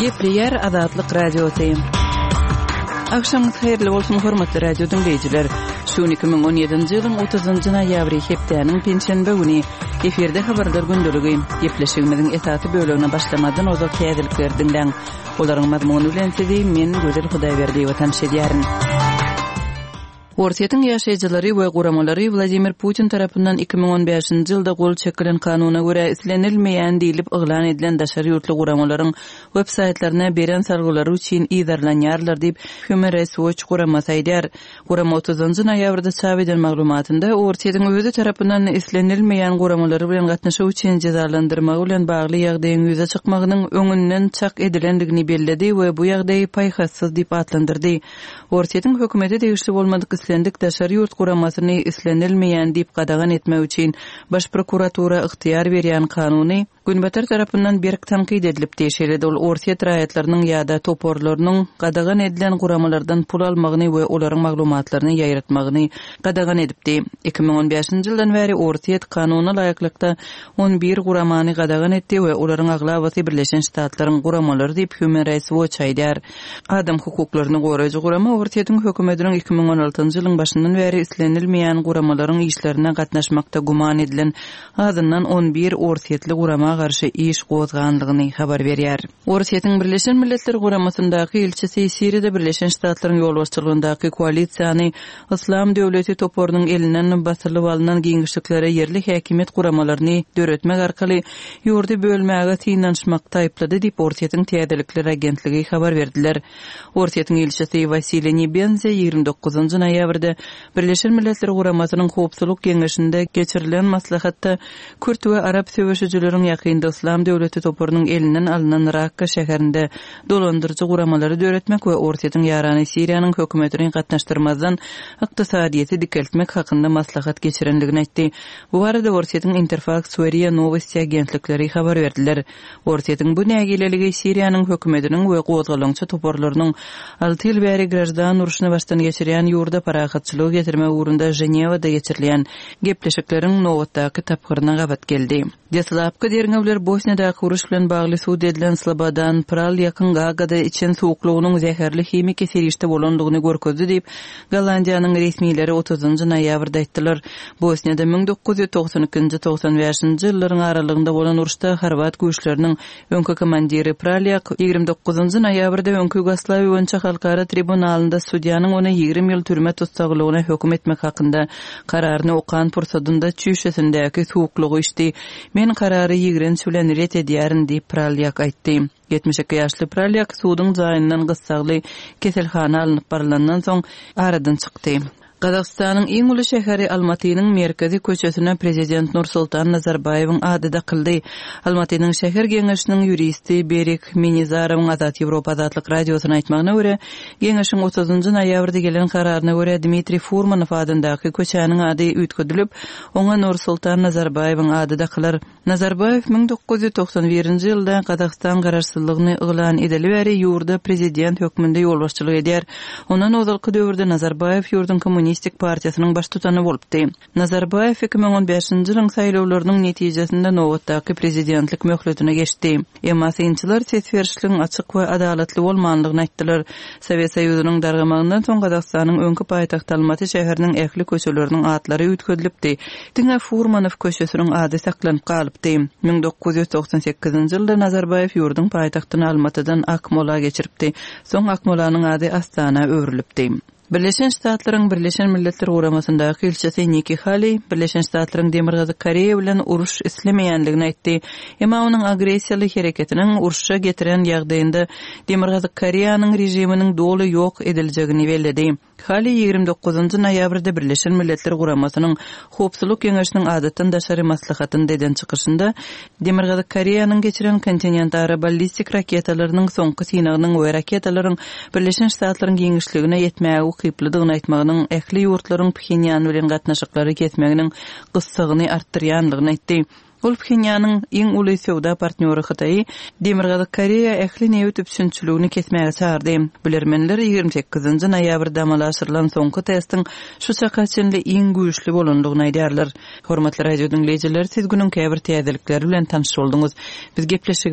Gepleýär Azatlyk Radiosy. Agşamyňyz haýyrly bolsun, hormatly radio diňleýjiler. Şu gün 2017-nji ýylyň 30-njy noýabry, hepdäniň penşenbe güni. Efirde habarlar gündeligi. Gepleşigimiziň esasy bölegine başlamazdan ozal täzelikleri diňläň. Olaryň mazmuny bilen sizi men, Gözel Hudaýberdiýewa tanyş edýärin. Orsýetiň ýaşaýjylary we guramalary Wladimir Putin tarapyndan 2015-nji ýylda gol çekilen kanuna görä islenilmeýän diýlip yglan edilen daşary ýurtly guramalaryň websaýtlaryna beren salgylary üçin yzarlanýarlar diýip, Human Rights Watch guramasy aýdýar. Gurama otuzynjy noýabrda çap eden maglumatynda Orsýetiň özi tarapyndan islenilmeýän guramalary bilen gatnaşyk üçin jezalandyrmagy bilen bagly ýagdaýyň ýüze çykmagynyň öňünden çak edilendigini belledi we bu ýagdaýy paýhassyz diýip atlandyrdy. Orsýetiň hökümete degişli bolmadyk islendik daşary ýurt guramasyny islenilmeýän diýip gadagan etmek üçin Baş prokuratura ygtyýar berýän kanuny Günbatar tarapyndan berk tankyt edilipdi. Şeýle-de ol orsýet raýatlarynyň ýa-da toparlarynyň gadagan edilen guramalardan pul almagyny we olaryň maglumatlaryny ýaýratmagyny gadagan edipdi. 2015-nji ýyldan bäri Orsýet kanuna laýyklykda 11 guramany gadagan etdi we olaryň aglabasy Birleşen Ştatlaryň guramalary diýip Human Rights Watch aýdýar. Adam hukuklaryny goraýjy gurama Orsýetiň hökümetiniň 2016-njy ýylyň başyndan bäri islenilmeýän guramalaryň işlerine gatnaşmakda güman edilen azyndan 11 orsýetli gurama garşy iş gozganlygyny habar berýär. Orsýetiň Birleşen Milletler Guramasyndaky ilçisi Siriýada Birleşen Ştatlaryň ýolbaşçylygyndaky koalisiýany Yslam döwleti toparynyň elinden basylyp alnan giňişliklere ýerli häkimiýet guramalaryny döretmek arkaly ýurdy bölmäge synanyşmakda aýyplady diýip, Orsýetiň täzelikler agentligi habar berdiler. Orsýetiň ilçisi Wasiliý Nebenzýa 29 noýabrda Birleşen Milletler Guramasynyň Howpsuzlyk Geňeşinde geçirilen maslahatda kürt we arap söweşijileriň ýakynda Yslam döwleti toparynyň elinden alnan Rakka şäherinde dolandyryjy guramalary döretmek we Orsýetiň ýarany Siriýanyň hökümetini gatnaşdyrmazdan ykdysadyýeti dikeltmek hakynda maslahat geçirendigini aýtdy. Bu barada Orsýetiň Interfaks we ria Nowosti agentlikleri habar berdiler. Orsýetiň bu nägileligi Siriýanyň hökümetiniň we gozgalaňçy toparlarynyň alty ýyl bäri graždan urşuny başdan geçirýän ýurda parahatçylygy getirmek ugrunda Ženewada geçirilýän gepleşikleriň nobatdaky tapgyryna gabat geldi. Deslapky derňewler Bosniýadaky uruş bilen bagly sud edilen Slobodan Pralýakyň Gagada içen suwuklygynyň zäherli himiki serişde bolandygyny görkezdi diýip, Gollandiýanyň resmileri otuzynjy noýabrda aýtdylar. Bosniýada 1992-nji, 95-nji ýyllaryň aralygynda bolan uruşda horwat güýçleriniň öňki komandiri Pralýak 29-njy noýabrda öňki Ýugoslawiýa boýunça halkara tribunalynda sudýanyň ony 20 ýyl türme tussaglygyna höküm etmek hakynda kararyny okan pursadynda çüýşesindäki suwuklygy içdi. Men karary ýigrenç bilen ret edýärin diýip, Pralýak aýtdy. 72 ýaşly Pralýak suduň jaýyndan gyssagly keselhana alnyp barylandan soň aradan çykdy. Gazagystanyň iň uly şäheri Almatynyň merkezi köçesine prezident Nursultan Nazarbaýewiň ady dakyldy. Almatynyň şäher geňeşiniň ýuristi Berik Minizarowyň Azat Ýewropa Azatlyk Radiosyna aýtmagyna görä, geňeşiň otuzynjy noýabrda gelen kararyna görä Dmitriý Furmanow adyndaky köçäniň ady üýtgedilip, oňa Nursultan Nazarbaýewiň ady dakylar. Nazarbaýew 1991-nji ýylda Gazagystan garaşsyzlygyny yglan edeli bäri ýurda prezident hökmünde ýolbaşçylyk edýär. Ondan ozalky döwürde Nazarbaýew ýurduň Kommunistik partiýasynyň baştutany bolupdy. Nazarbaýew 2015-nji ýylyň saýlawlarynyň netijesinde nobatdaky prezidentlik möhletine geçdi. Emma synçylar ses berişligiň açyk we adalatly bolmandygyny aýtdylar. Sowet Soýuzynyň dargamagyndan soň Gazagystanyň öňki paýtagty Almaty şäheriniň ähli köçeleriniň atlary üýtgedilipdi. Diňe Furmanow köçesiniň ady saklanyp galypdy. 1998-nji ýylda Nazarbaýew ýurduň paýtagtyny Almatydan Akmola geçiripdi. Soň Akmolanyň ady Astana öwrülipdi. Birleşen Ştatlaryň Birleşen Milletler Guramasyndaky ilçisi Nikki Haleý Birleşen Ştatlaryň Demirgazyk Koreýa bilen uruş islemeýändigini aýtdy. Emma onuň agressiýaly hereketiniň urşa getiren ýagdaýynda Demirgazyk Koreýanyň režiminiň doly ýok ediljegini belledi. Haleý 29 noýabrda Birleşen Milletler Guramasynyň Howpsuzlyk Geňeşiniň adatdan daşary maslahatynda eden çykyşynda Demirgazyk Koreýanyň geçiren kontinentara ballistik raketalarynyň soňky synagynyň we raketalaryň Birleşen Ştatlaryň giňişligine ýetmäge ukyplydygyny aýtmagynyň ähli ýurtlaryň Phenýan bilen gatnaşyklary kesmeginiň gyssagyny artdyrýandygyny aýtdy. Ol Phenýanyň iň uly söwda partnýory Hytaýy Demirgazyk Koreýa ähli nebit üpjünçiligini kesmäge çagyrdy. Bilermenler 28-nji noýabrda amala aşyrylan soňky testiň şu çaka çenli iň güýçli bolandygyny aýdýarlar. Hormatly radio diňleýjiler, siz günüň käbir täzelikleri bilen tanyş bolduňyz. Biz gepleşigi.